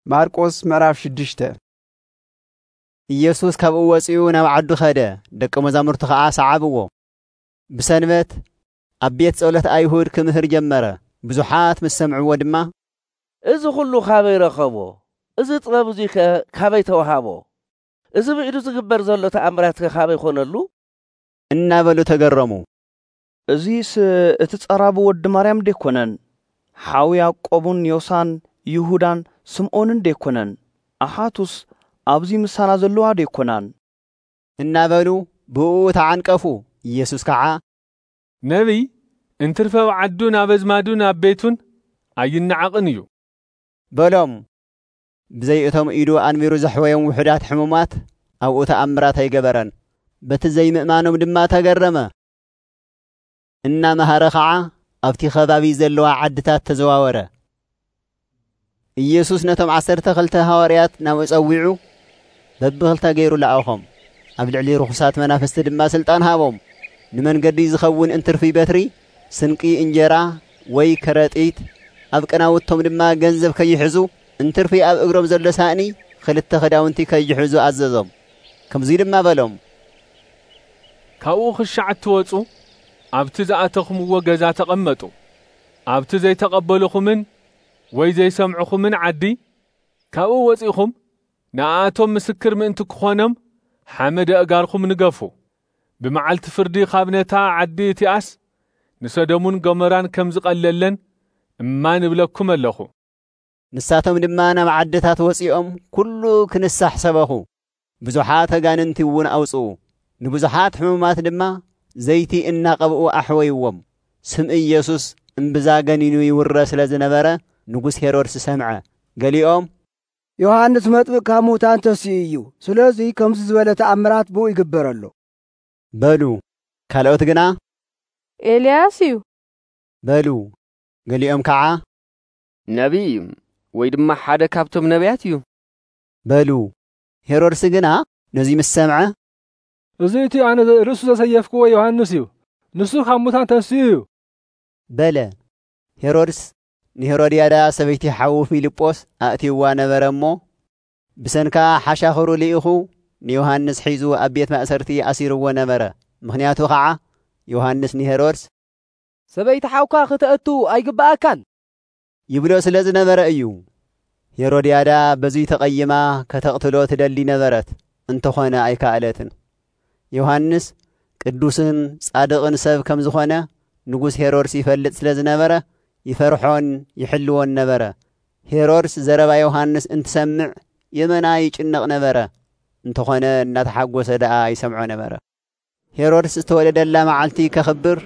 ማርቆስ ምዕራፍ ሽዱሽተ። ኢየሱስ ካብኡ ወጺኡ ናብ ዓዱ ኸደ፣ ደቀ መዛሙርቱ ኸዓ ሰዓብዎ። ብሰንበት ኣብ ቤት ጸሎት ኣይሁድ ክምህር ጀመረ። ብዙሓት ምስ ሰምዕዎ ድማ፣ "እዚ ኹሉ ካበይ ረኸቦ? እዚ ጥበብ እዙይ ከ ካበይ ተዋሃቦ? እዚ ብኢዱ ዝግበር ዘሎ ተኣምራት ከ ካበይ ኾነሉ?" እናበሉ ተገረሙ። "እዚስ እቲ ጸራቢ ወዲ ማርያም ደይኮነን? ሓው ያዕቆብን ዮሳን ይሁዳን ስምዖንን ደይኮነን? ኣሓቱስ ኣብዚ ምሳና ዘለዋ ደይኮናን?" እናበሉ ብእኡ ተዓንቀፉ። ኢየሱስ ከዓ፣ "ነቢይ እንትርፈ ኣብ ዓዱን ኣብ ኣዝማዱን ኣብ ቤቱን ኣይነዓቕን እዩ" በሎም። ብዘይ እቶም ኢዱ ኣንቢሩ ዘሕወዮም ውሑዳት ሕሙማት ኣብኡ ተኣምራት ኣይገበረን። በቲ ዘይምእማኖም ድማ ተገረመ። እናመሃረ ኸዓ ኣብቲ ኸባቢ ዘለዋ ዓድታት ተዘዋወረ። ኢየሱስ ነቶም ዓሰርተ ክልተ ሃዋርያት ናብኡ ጸዊዑ በብኽልተ ገይሩ ለኣኾም። ኣብ ልዕሊ ርኹሳት መናፍስቲ ድማ ስልጣን ሃቦም። ንመንገዲ ዝኸውን እንትርፊ በትሪ፣ ስንቂ እንጀራ ወይ ከረጢት፣ ኣብ ቀናውቶም ድማ ገንዘብ ከይሕዙ፣ እንትርፊ ኣብ እግሮም ዘሎ ሳእኒ፣ ክልተ ክዳውንቲ ከይሕዙ ኣዘዞም። ከምዙይ ድማ በሎም፣ "ካብኡ ኽሻዕ እትወጹ፣ ኣብቲ ዝኣተኹምዎ ገዛ ተቐመጡ። ኣብቲ ዘይተቐበልኹምን ወይ ዘይሰምዕኹምን ዓዲ፣ ካብኡ ወጺኹም ንኣኣቶም ምስክር ምእንቲ ክኾኖም፣ ሓመድ ኣእጋርኩም ንገፉ። ብመዓልቲ ፍርዲ ካብ ነታ ዓዲ እቲኣስ ንሰዶምን ገሞራን ከም ዝቐለለን እማን እብለኩም ኣለኹ።" ንሳቶም ድማ ናብ ዓድታት ወጺኦም ኩሉ ክንሳሕ ሰበኹ። ብዙሓት ኣጋንንቲ እውን ኣውጽኡ። ንብዙሓት ሕሙማት ድማ ዘይቲ እናቐብኡ ኣሕወይዎም። ስም ኢየሱስ እምብዛ ገኒኑ ይውረ ስለ ዝነበረ ንጉስ ሄሮድስ ሰምዐ። ገሊኦም፣ "ዮሃንስ መጥምቅ ካብ ሙታን ተሲኡ እዩ። ስለዚ ከምዚ ዝበለ ተኣምራት ብኡ ይግበረሉ" በሉ። ካልኦት ግና፣ "ኤልያስ እዩ" በሉ። ገሊኦም ከዓ፣ "ነቢይ እዩ፣ ወይ ድማ ሓደ ካብቶም ነቢያት እዩ" በሉ። ሄሮድስ ግና ነዚ ምስ ሰምዐ፣ "እዚ እቲ ኣነ ርእሱ ዘሰየፍክዎ ዮሃንስ እዩ። ንሱ ካብ ሙታን ተንሲኡ እዩ" በለ። ሄሮድስ ንሄሮድያዳ ሰበይቲ ሓዉ ፊልጶስ ኣእትይዋ ነበረ እሞ፣ ብሰንካ ሓሻኽሩ ልኢኹ ንዮሃንስ ሒዙ ኣብ ቤት ማእሰርቲ ኣሲርዎ ነበረ። ምኽንያቱ ኸዓ ዮሃንስ ንሄሮድስ፣ "ሰበይቲ ሓውካ ክተእቱ ኣይግብኣካን" ይብሎ ስለ ዝነበረ እዩ። ሄሮድያዳ በዙይ ተቐይማ ከተቕትሎ ትደሊ ነበረት፣ እንተኾነ ኣይከኣለትን። ዮሃንስ ቅዱስን ጻድቕን ሰብ ከም ዝኾነ ንጉስ ሄሮድስ ይፈልጥ ስለ ዝነበረ፣ ይፈርሖን ይሕልዎን ነበረ። ሄሮድስ ዘረባ ዮሃንስ እንትሰምዕ የመና ይጭነቕ ነበረ፣ እንተኾነ እናተሓጎሰ ደኣ ይሰምዖ ነበረ። ሄሮድስ ዝተወለደላ መዓልቲ ከኽብር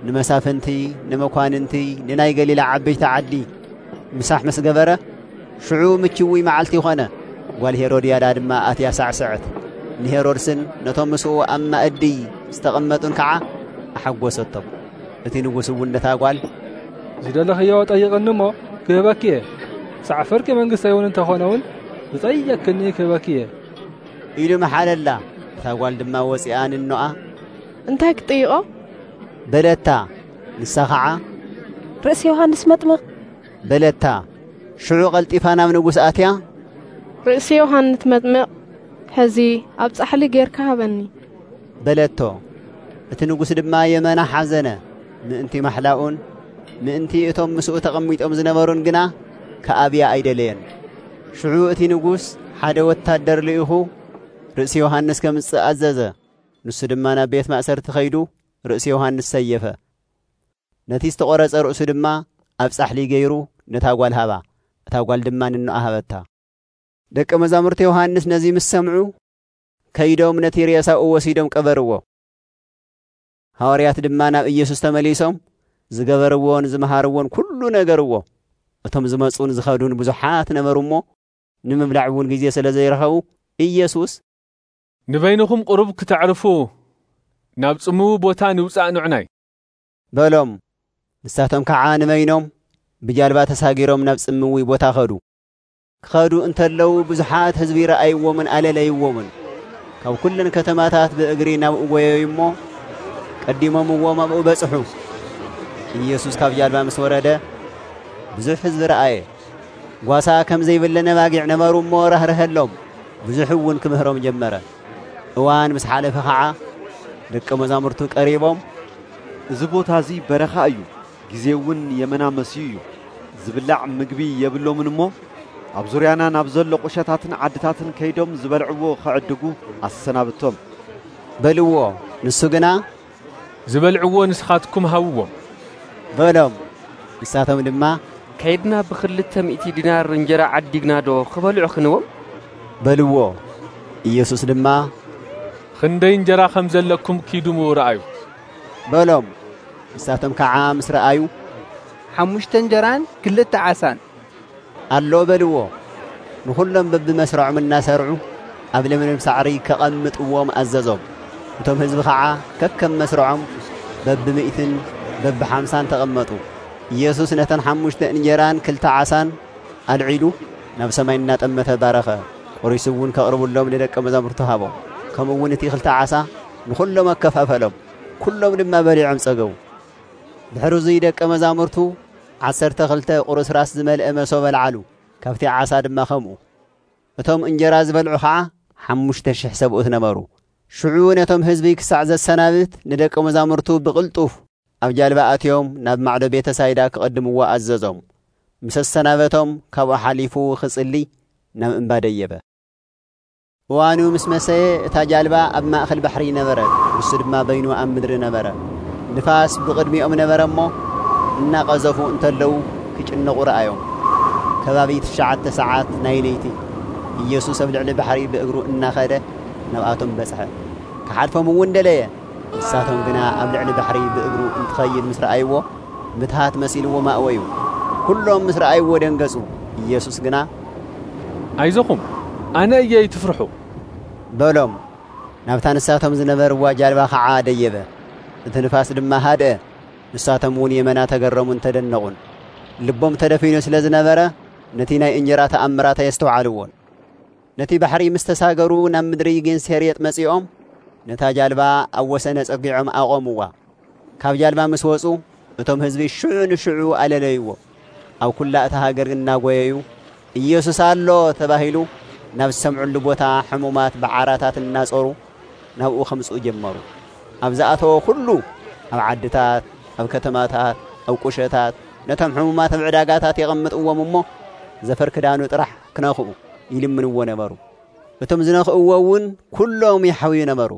ንመሳፍንቲ፣ ንመኳንንቲ፣ ንናይ ገሊላ ዓበይቲ ዓዲ ምሳሕ ምስ ገበረ፣ ሽዑ ምችውይ መዓልቲ ኾነ። ጓል ሄሮድያዳ ድማ ኣትያ ሳዕስዐት። ንሄሮድስን ነቶም ምስኡ ኣብ ማእዲ ዝተቐመጡን ከዓ ኣሐጎሰቶም። እቲ ንጉስ እውን ነታ ጓል፣ "ዝደለኽዮ ጠይቕኒ እሞ ክህበኪ እየ፣ ክሳዕ ፍርቂ መንግስተይ እውን እንተኾነ እውን ዝጠየቅክኒ ክህበኪ እየ" ኢሉ መሓለላ። እታ ጓል ድማ ወፂኣ ንኖኣ፣ "እንታይ ክጥይቆ?" በለታ። ንሳ ኸዓ፣ "ርእሲ ዮሃንስ መጥምቕ" በለታ። ሽዑ ቐልጢፋ ናብ ንጉስ ኣትያ፣ "ርእሲ ዮሃንስ መጥምቕ ሕዚ ኣብ ጻሕሊ ጌርካ ሃበኒ" በለቶ። እቲ ንጉስ ድማ የመና ሓዘነ፣ ምእንቲ ማሕላኡን ምእንቲ እቶም ምስኡ ተቐሚጦም ዝነበሩን ግና ክኣብያ ኣይደለየን። ሽዑ እቲ ንጉስ ሓደ ወታደር ልኢኹ ርእሲ ዮሃንስ ከምጽእ ኣዘዘ። ንሱ ድማ ናብ ቤት ማእሰርቲ ኸይዱ ርእሲ ዮሃንስ ሰየፈ። ነቲ ዝተቖረጸ ርእሱ ድማ ኣብ ጻሕሊ ገይሩ ነታ ጓል ሃባ። እታ ጓል ድማ ንኖኣ ሃበታ። ደቀ መዛሙርቲ ዮሃንስ ነዚ ምስ ሰምዑ፣ ከይዶም ነቲ ሬሳኡ ወሲዶም ቀበርዎ። ሃዋርያት ድማ ናብ ኢየሱስ ተመሊሶም፣ ዝገበርዎን ዝመሃርዎን ኩሉ ነገርዎ። እቶም ዝመጹን ዝኸዱን ብዙሓት ነበሩ እሞ፣ ንምብላዕ እውን ግዜ ስለ ዘይረኸቡ፣ ኢየሱስ፣ "ንበይንኹም ቁሩብ ክተዕርፉ ናብ ጽምዊ ቦታ ንውጻእ ንዑናይ" በሎም። ንሳቶም ከዓ ንበይኖም ብጃልባ ተሳጊሮም ናብ ጽምዊ ቦታ ኸዱ። ክኸዱ እንተለዉ ብዙሓት ህዝቢ ረኣይዎምን ኣለለይዎምን። ካብ ኩለን ከተማታት ብእግሪ ናብኡ ጐየዩ እሞ፣ ቀዲሞምዎም ኣብኡ በጽሑ። ኢየሱስ ካብ ጃልባ ምስ ወረደ፣ ብዙሕ ህዝቢ ረኣየ። ጓሳ ከም ዘይብለን ኣባጊዕ ነበሩ እሞ ራህርሀሎም። ብዙሕ እውን ክምህሮም ጀመረ። እዋን ምስ ሓለፈ ኸዓ ደቀ መዛሙርቱ ቀሪቦም፣ "እዚ ቦታ እዚ በረኻ እዩ፣ ግዜ እውን የመና መስዩ እዩ። ዝብላዕ ምግቢ የብሎምን እሞ ኣብ ዙርያና ናብ ዘሎ ቁሸታትን ዓድታትን ከይዶም ዝበልዕዎ ክዕድጉ ኣሰናብቶም" በልዎ። ንሱ ግና፣ "ዝበልዕዎ ንስኻትኩም ሃብዎም" በሎም። ንሳቶም ድማ፣ "ከይድና ብኽልተ ሚእቲ ዲናር እንጀራ ዓዲግና ዶ ክበልዑ ክንዎም?" በልዎ። ኢየሱስ ድማ፣ "ክንደይ እንጀራ ከም ዘለኩም ኪዱ ምው ረኣዩ" በሎም። ንሳቶም ከዓ ምስ ረኣዩ፣ "ሓሙሽተ እንጀራን ክልተ ዓሳን" ኣሎ በልዎ። ንኹሎም በብመስርዖም እናሰርዑ ኣብ ለምለም ሳዕሪ ከቐምጥዎም ኣዘዞም። እቶም ህዝቢ ኸዓ ከከም መስርዖም በብሚእትን በብሓምሳን ተቐመጡ። ኢየሱስ ነተን ሓሙሽተ እንጀራን ክልተ ዓሳን ኣልዒሉ ናብ ሰማይ እናጠመተ ባረኸ። ቁሪሱ እውን ከቕርብሎም ንደቀ መዛሙርቱ ሃቦም። ከምኡ እውን እቲ ክልተ ዓሳ ንኹሎም ኣከፋፈሎም። ኩሎም ድማ በሊዖም ጸገቡ። ድሕሪ እዙይ ደቀ መዛሙርቱ ዓሰርተ ክልተ ቁርስራስ ዝመልአ መሶብ ኣልዓሉ፣ ካብቲ ዓሳ ድማ ከምኡ። እቶም እንጀራ ዝበልዑ ኸዓ ሓሙሽተ ሽሕ ሰብኡት ነበሩ። ሽዑ ነቶም ህዝቢ ክሳዕ ዘሰናብት ንደቀ መዛሙርቱ ብቕልጡፍ ኣብ ጃልባ ኣትዮም ናብ ማዕዶ ቤተ ሳይዳ ክቐድምዎ ኣዘዞም። ምስ ኣሰናበቶም ካብኡ ሓሊፉ ክጽሊ ናብ እምባ ደየበ። እዋኑ ምስ መሰየ እታ ጃልባ ኣብ ማእከል ባሕሪ ነበረት፣ ንሱ ድማ በይኑ ኣብ ምድሪ ነበረ። ንፋስ ብቕድሚኦም ነበረ እሞ እናቐዘፉ እንተለዉ ክጭነቑ ረኣዮም። ከባቢ ትሽዓተ ሰዓት ናይ ለይቲ ኢየሱስ ኣብ ልዕሊ ባሕሪ ብእግሩ እናኸደ ናብኣቶም በጽሐ። ክሓልፎም እውን ደለየ። ንሳቶም ግና ኣብ ልዕሊ ባሕሪ ብእግሩ እንትኸይድ ምስ ረኣይዎ፣ ምትሃት መሲልዎም ኣእወዩ። ኩሎም ምስ ረኣይዎ ደንገጹ። ኢየሱስ ግና፣ "ኣይዞኹም፣ ኣነ እየ፣ ኣይትፍርሑ" በሎም። ናብታ ንሳቶም ዝነበርዋ ጃልባ ኸዓ ደየበ። እቲ ንፋስ ድማ ሃድአ። ንሳቶም እውን የመና ተገረሙን ተደነቑን። ልቦም ተደፊኑ ስለ ዝነበረ፣ ነቲ ናይ እንጀራ ተኣምራት ኣየስተውዓልዎን። ነቲ ባሕሪ ምስ ተሳገሩ ናብ ምድሪ ጌንሴሬጥ መጺኦም፣ ነታ ጃልባ ኣብ ወሰን ኣጸጊዖም ኣቖምዋ። ካብ ጃልባ ምስ ወጹ፣ እቶም ህዝቢ ሽዑ ንሽዑ ኣለለይዎ። ኣብ ኩላ እታ ሃገር እናጎየዩ፣ "ኢየሱስ ኣሎ" ተባሂሉ ናብ ዝሰምዕሉ ቦታ ሕሙማት ብዓራታት እናጾሩ ናብኡ ከምጽኡ ጀመሩ። ኣብ ዝኣተወ ኩሉ፣ ኣብ ዓድታት፣ ኣብ ከተማታት፣ ኣብ ቁሸታት፣ ነቶም ሕሙማት ኣብ ዕዳጋታት የቐምጥዎም እሞ፣ ዘፈር ክዳኑ ጥራሕ ክነኽኡ ይልምንዎ ነበሩ። እቶም ዝነኽእዎ እውን ኩሎም ይሓውዩ ነበሩ።